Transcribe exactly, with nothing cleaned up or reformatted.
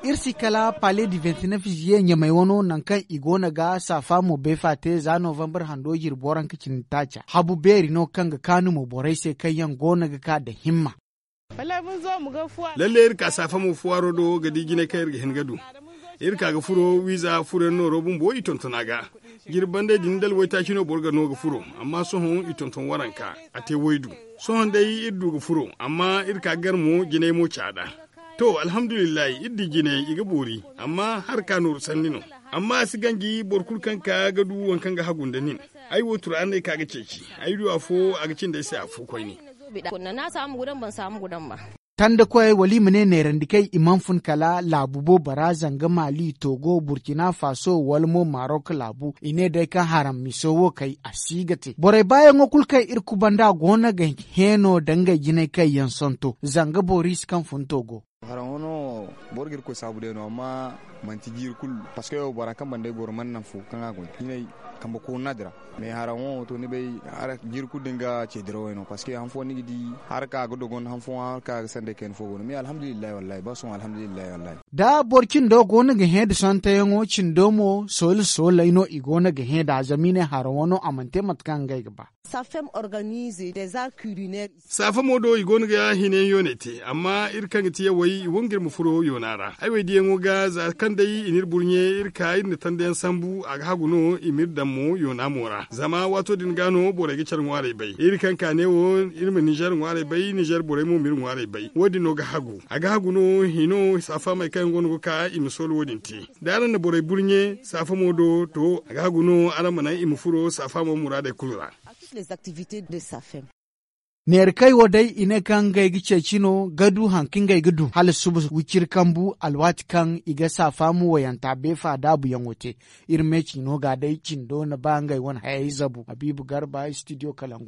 Iri si kala pale di vingt-neuf ziye ɲamey wano nangu kaŋ i go no ga saafa mo beefa te za novembre hando jirbi waranka cindi taaca habu beeri no kaŋ ga kaanu mo borey se kaŋ yaŋ go no ga ka nda himma. Lalle iri ka saafa mo fuwaaro do ga di jinay kaŋ iri ga hin ga du. Iri ka ga furo wiiza furoyaŋ nooro bumbo i tonton a ga. Jirbi banday din da alwaytaaci no boro ga no ga furo, amma sohõ i tonton waranka, a te waydu. Sohõ day iri du ga furo, amma iri ka gar mo jinay mo caada. To, alhamdulillahi, iri di jinay i ga boori, amma haraka nooru sanni no. Amma a si ganji boro kulu kaŋ ka ga du waŋ kaŋ ga hagu nda nin. Ay wo turaaney ka ga ceeci. Ay du afo a ga cindi ay se afo koyne. Tanda koyey wala i ma ne neerandi kay i mana fun kala laabu boobo ra zanga mali togo burkina faso wala mo marok laabu i ne day kaŋ haram miso wo kay a si ga te borey baayaŋo kulu kaŋ iri kubanda go no ga heeno da ngey jinay kaŋ yaŋ santo zanga boris kaŋ fun togo. Haraŋo no, boro ga iri koy saabu day no amma manti jiiri kulu, parceque bora kaŋ banda ay goro mana naŋ fo kaŋ a go jinay kambe koona din ra. Mais haraŋo to ni bay, jiiri kulu din ga ce dirawey no parceque han fo ni ga di, haraka ga dogon han fo haraka ga sanday kayna fo go no mais alhamdulillahi wallahi ba sohõ alhamdulillahi wallahi. Da boro cindo go no ga hẽ da sontoyaŋo cindo mo sooli sooley no i go no ga hẽ da zama i ne haraŋo no a mana te mate kaŋ ngey ga ba. Safem organize des arts culinaires. Saafa mo do i go no ga hinayaŋ yooney te amma iri kaŋ ga ti yawey i wangu iri ma furo yoona ra ay wo ay diyaŋo ga za kaŋ day i n'iri burɲe iri ka iri na tandayaŋ sambu a ga hagu no i m'iri daŋ mo yoona mo ra zama waato din ga no borey ga care ŋwaarey bay iri kaŋ ka ne wo iri ma nizer ŋwaarey bay nizer borey mo m'iri ŋwaarey bay wo- din no ga hagu a ga hagu no hino saafaamey kaŋ yaŋ go no ga ka i ma soolo wo- din te. Da araŋ na borey burɲe saafa mo do to a ga hagu no araŋ ma naŋ i ma furo saafaamo muraadey kulu ra. Neera kay wo day i ne kaŋ ngey ga ceeci no ga du hari kaŋ ngey ga du hala suba wiciri kambu alwaati kaŋ i ga saafaamo wayanta beefa daabuyaŋo te. Iri me ciino ga day cindo na ba ngey wane hayey zabu habiibu garba studio kalangu.